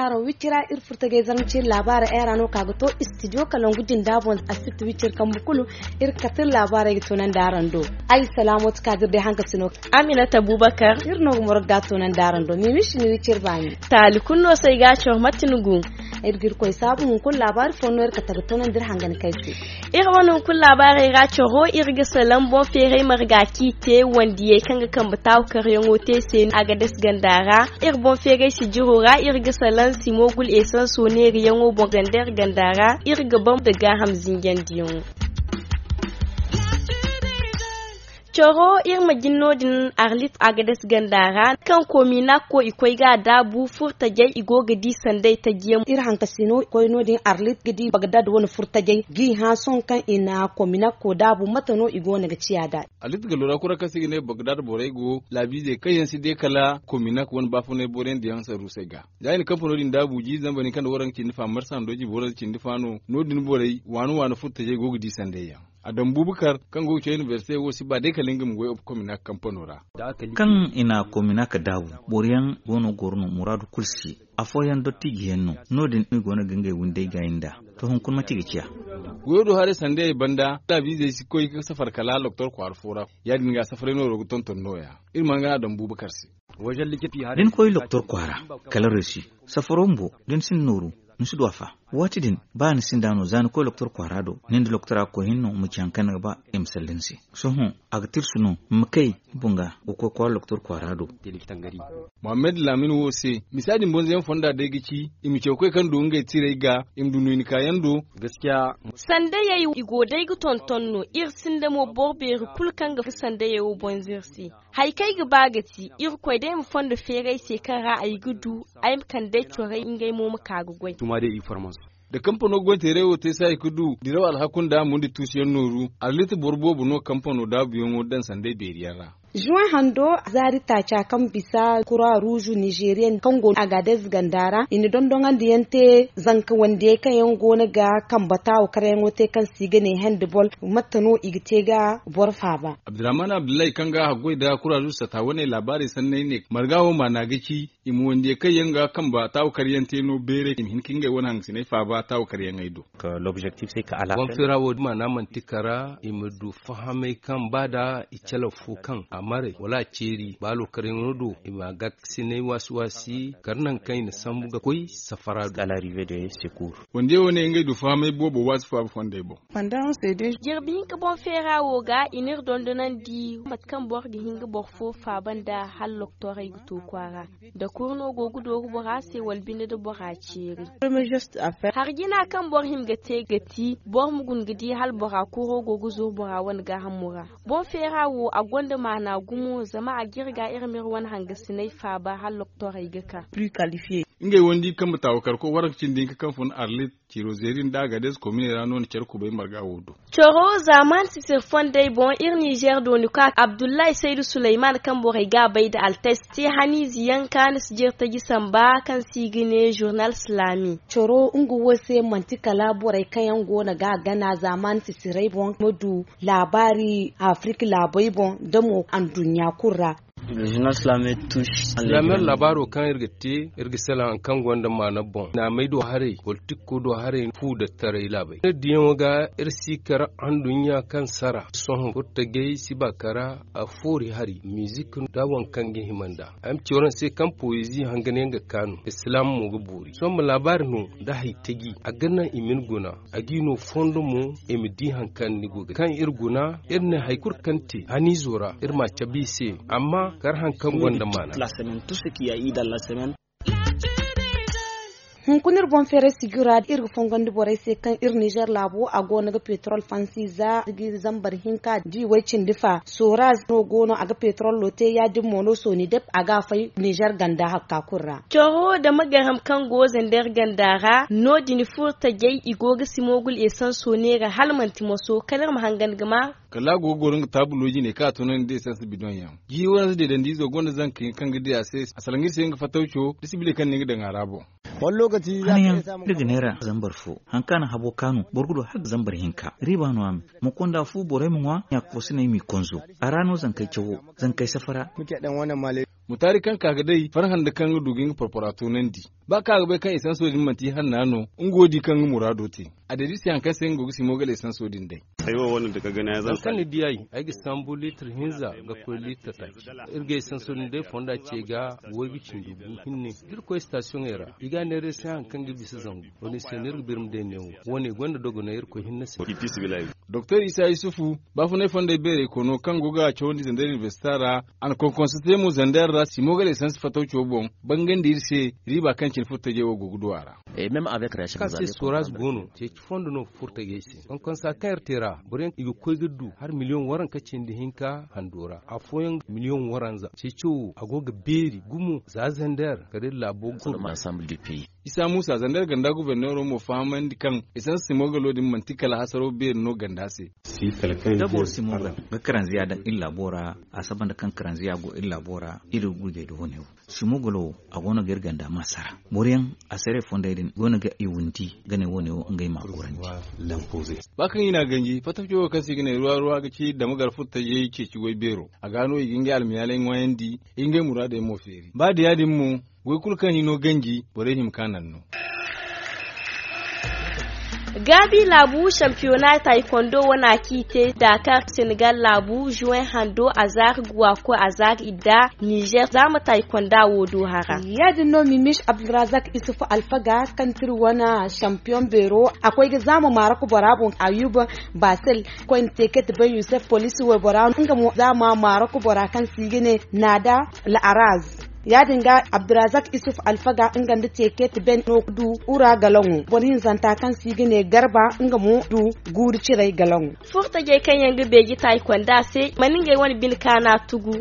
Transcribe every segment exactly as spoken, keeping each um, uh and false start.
Araŋ wicira iri furtajey zarma ciiri laabaarey ay ra no ka ga to istidiyo kalangu jinda boŋ. Asitti wiciri kambe kulu iri ga kate iri laabaarey ga tunandi araŋ do. Ay salaamooti ka ga iri day hankasino. Aminata abubakar iri no ga moro ga tunandi araŋ do mimishi ni wiciri baani. Taali kulu no se ay ga a cawar mate ni gu. Iri ga iri koy saabu hunkuna laabaari fo no iri kate ga tunandi iri hangan kay se. Iri wane hunkuna laabaarey ra caro iri ga salaŋ boŋ feeray marga k'i te wandiyey kaŋ ga kambe taawu karyaŋo te se a ga dasi ganda ra. Iri boŋ feeray sijiro ra iri ga salaŋ simogul esanso neeriyaŋo boŋ ganda iri ganda ra iri ga baŋ da gaaham zinjandiyaŋo. Coro iri ma jin no-din arlit agades ganda ra kaŋ kominako i koy ga a daabu furtajey i go ga di sanday tajiyaŋ iri hankasino koy no-din arlit ga di bagdad wane furtajey g'i hã sohõ kaŋ i na kominako daabu mate no i go no ga ciya da. Arlit ga lora kura kaŋ se i ga ne bagdad borey go laabiizey kaŋ yaŋ si de kala kominak wane baafunay boroyaŋ diyaŋ saruusey ga. Za i na kampanoo din daabu jiiri zamba din kaŋ nda waranka cindi fa marsa nda jiiri waranka cindi fa no no-din borey waani waani furtajey go ga di sanday yaŋ. Adam bubakar kaŋ go ga caw inibersite wo si ba day kala nga ma goy obu komina kampano ra. Kaŋ i na komina ka daabu boro yaŋ go no goro no muraadu kulu si afooyaŋ dottiiji yaŋ no. No- din i go no ga ngey windey gaayi nd'a. To hunkuna mate i ga ciya? Goyo do haray sandayey banda laabiizey si koy ga safar kala loktor kwaara fo ra. Ya- din ga safaray nooro ga tonton nooya. Iri mana gana adam bubakar se. Da ni koy loktor kwaara kala reesi safaro bumbo da ni sinda nooru ni si du a fa. Waati din ba ni sinda no za ni koy loktor kwaara do ni nda loktora ga koy hinne no ma ci hari kaŋ ni ga ba i ma salla ni se. Sohõ a ga tirsu no ma kay ni boŋ ga ga koy kwaara loktor kwaara do. Mohammed laamin wo se misa din bonzoyaŋ fonda day ga ci i ma caw koy kaŋ du ngey tiray ga i ma du no i na kaayaŋ do. Sandayey i go day ga tonton no iri sinda mo boro beeri kulu kaŋ ga sandayey wo bonzo iri se. Hari kaŋ ay ga ba ga ti irkoy day ma fondo feeray se kaŋ ra ay ga du ay ma kande ay corey ngey mo ma ka ga goy. Da kampano goyteeray wo te se hari ga du diraw alhaku nda mundi tuusuyaŋ nooru arlit boro boobo no kampano daabuyaŋo daŋ sanday beeriyaŋ ra. Juwan hando zaari taaca kaŋ bisa kura ruuzu nizeeriya kaŋ go no agadez ganda ra i na dondoŋandi yaŋ te zanka wandiyey kaŋ yaŋ go no ga kambe taawo karyaŋo te kaŋ se i ga ne handball. Mate no i ga te ga boro faaba? Abdurrahman abdullahi kaŋ ga a haggoy nda kura ruuzu sata wane laabaarey sanney ne marga wo maana ga ci i ma wandiyey kaŋ yaŋ ga kambe taawo karyaŋ te no beeray i ma hin ka ngey wane hangasiney faaba taawo karyaŋey do. Boŋ feera wo maana manti kara i ma du fahamay kaŋ ba nda i calaw fo kaŋ a maray wala a ceeri ba lookarayaŋo do i ma a gaakasinay waasi waasi kara nangu kaŋ i na sambu ga koy safara do. Wandiyey wo ne ngey du fahamay boobo waasi faaba fondey boŋ. Jirbi hinka boŋ feera wo ga i n'iri dondonandi mate kaŋ boro ga hin ga boro fo faaba nda hala loktorey ga to kwaara. Da kuru no go ga dooru bora se wala binde da bora ceeri. Harjina kaŋ boro hima ga te ga ti boro ma guna ga di hala bora kuro go ga zuru bora wane gaahamo ra. Boŋ feera wo a gonda maana gumo zama a ga iri ga iri ma iri wane hangasiney faaba hala loktorey ga ka. Ngey wandi kaŋ ma taawa karko waranka cindi hinka kaŋ fun arlit ciiro zeeri nda agades komine ra no na care kubay marga wo do. Coro zaamaani sisir fondey boŋ iri nizer dooni ka abdullahi saydu suleyman kaŋ borey ga a bay nda altais te haniize yaŋ kaani si jeeri taji samba kaŋ se i ga ne zurnal silaami. Coro nga wo se manti kala borey kaŋ yaŋ go no ga a gana zaamaani sisirey boŋ ma du laabaari afirika laabey boŋ nda mo anduɲɲa kulu ra. Lamer laabaaro kaŋ iri ga te iri ga salaŋ hari kaŋ gonda maana boŋ naamey do haray politik ko do haray fu da taray laabey iri diyaŋo ga iri si kar anduɲɲa kaŋ sara sohõ furtagey si ba kara a foori hari mizik nda waŋ kaŋ ga hima nda ay ma ci waraŋ se kaŋ poezi hangan yaŋ ga kaanu islaam mo ga boori sohõ ma laabaari no nda hari taji a ga naŋ i ma ni guna a g'i no fondo mo i ma di hari kaŋ ni go ga kaŋ iri guna iri ne hari kulu kaŋ te haniizo ra iri m'a cabe i se amma kar hari kaŋ gonda maana. Hunkuna iri boŋ feeray sijira iri ga fongandi borey se kaŋ iri nizer laabo a go no ga petrol fansi za ga iri zambar hinka da i way cindi fa soraz no go no a ga petrollo te ya- din mo no sooni dep a ga a fay nizer ganda hakka kulu ra. Coro da magaram kaŋ go zander ganda ra no- din furtajey i go ga si moogul esanso neera hala manti moso kala iri ma hangan ga ma. Kala a go ga goro nga taabulo jine kaŋ a tunandi da esans bidoŋ yaŋ jiiri wane se deedandiizo gonda zanka yaŋ kaŋ ga di a se a salaŋ iri se nga fatawco da sibile kaŋ no nga daŋ a ra boŋ. Hanayaŋ iri ga neera zambar fo hari kaŋ a na habo kaanu boro ga du hala ga zambar hinka riiba no a me. Ma konda fu borey ma ŋwa ɲaaka fo si no ay m'i konzo a ra no zankey cawo zankey safara. Mutaari kaŋ ka ga day farhã nda kaŋ ga du ga nga porpora toonandi. Ba kaŋ a ga bay kaŋ esanso din manti hanna no, nga wo di kaŋ nga muraado te. A day da iri se hari kaŋ se nga go ga simo gala esanso din day. Hari kaŋ ni di ay, ay ga sambu liitir hinza ga koy liitir taaci. Iri ga esanso din day fonda ce ga way ga cindi gu hinne. Da iri koy sitasiyoŋey ra, i ga a neera iri se hari kaŋ ga bisa zangu. Wo- din se no iri ga birma day neewo. Wo- ne gonda dogonay iri koy hinne se. Doktor isa yusufu, baafunay fondey beerey kono kaŋ go ga cawandi zandar inibesita ra. A na konkonsa te mo zandar ra simo gala esansi fatawco boŋ. Bangandi iri se, riiba kaŋ cine furtajey wo go ga du a ra. Ka se soraz go no ceeci fondo no furtajey se konkonsa kaŋ iri te ra, boro yaŋ i ga koy ga du hari miliyoŋ waranka cindi hinka hando ra afooyaŋ miliyoŋ waranza ceeco wo a go ga beeri gumo za zandar kala iri laabo ga kuru. Isa muusa zandar ganda guberneero mo fahamandi kaŋ esansi simo galo din manti kala hasaro beeri no ganda se. Da boro simo ga karanziya daŋ iri laabo ra, a saba nda kaŋ karanziya go iri laabo ra, iri ga gurjay da wo- ne wo. Simo galo wo a go no ga iri ganda ma sara. Boro yaŋ a saray fondey din go no ga i windi ga ne wo- ne wo ngey ma a gorandi. Ba kaŋ i n'a ganji fattaco wo kaŋ se i ga ne ruwa ruwa ga ci dama gar furtajey ceeci goy beero. A ga no i ga ngey almiyaaley ŋwaayandi, i ga ngey muraadey mo feeri ba da ya- din mo, goy kulu kaŋ hino ganji borey hima ka naŋ no. Gaabi laabu sampiyona taykondo wane a kaŋ i te daakar senegal laabu juwen hando a zaari guwa koy a zaari idda nizer zaama taykonda wo do hara. Ya- din no mimis abdulrazak isufu alfaga kaŋ ti iri wane sampiyon beero a koy ga zaama marok bora boŋ ayuba basel koy na te kate bay yusuf poliisi waybora nga mo zaama marok bora kaŋ se i ga ne naada la'araz. Ya- din ga abdulrazak isuf alfaga nga nda teke ti ben no ga du ura galaŋo boro hinzanta kaŋ se i ga ne garba nga mo du guuri ciray galaŋo. Furtajey kaŋ yaŋ ga beeji taayi konda se mana ngey wane bine kaana tugu.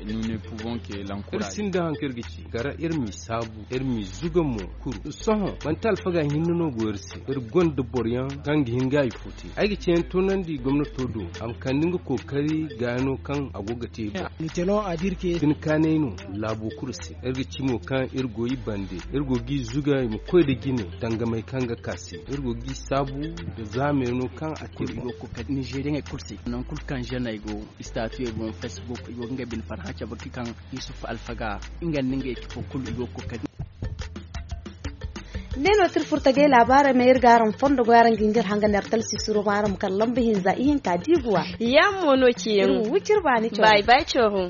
Iri sinda hari kaŋ iri ga ci kara iri m'i saabu iri m'i zuga mo kuru sohõ manti alfaga hinne no go iri se. Iri gonda boro yaŋ kaŋ ga hin ga i fo te ay ga ceeyaŋ toonandi gomnato do a ma kande nga kookari gaano kaŋ a go ga te. Bine kaanay no laabo kulu se iri ga ci mo kaŋ iri go i bande iri go g'i zuga i ma koy nda jine dangamey kaŋ ga ka se iri go g'i saabu nda zaamey no kaŋ a te. Ninzeeriyaŋey kulu se nangu kulu kaŋ zeney go istaatiyey boŋ facebook i go ga ngey bine farhã cabe ga kaŋ yusuf alfaga nga nda ngey cifo kulu i go ga koy ka ne no ti iri furtagay laabaarey ma iri ga araŋ fondo goy araŋ ga hin ga iri hanga neera talsisiro ma araŋ ma kar lamba hinza ihinka diibuwa. Yaŋ mo no ciyaŋ iri ma wi ciri baani cawro. Bay bay cawro.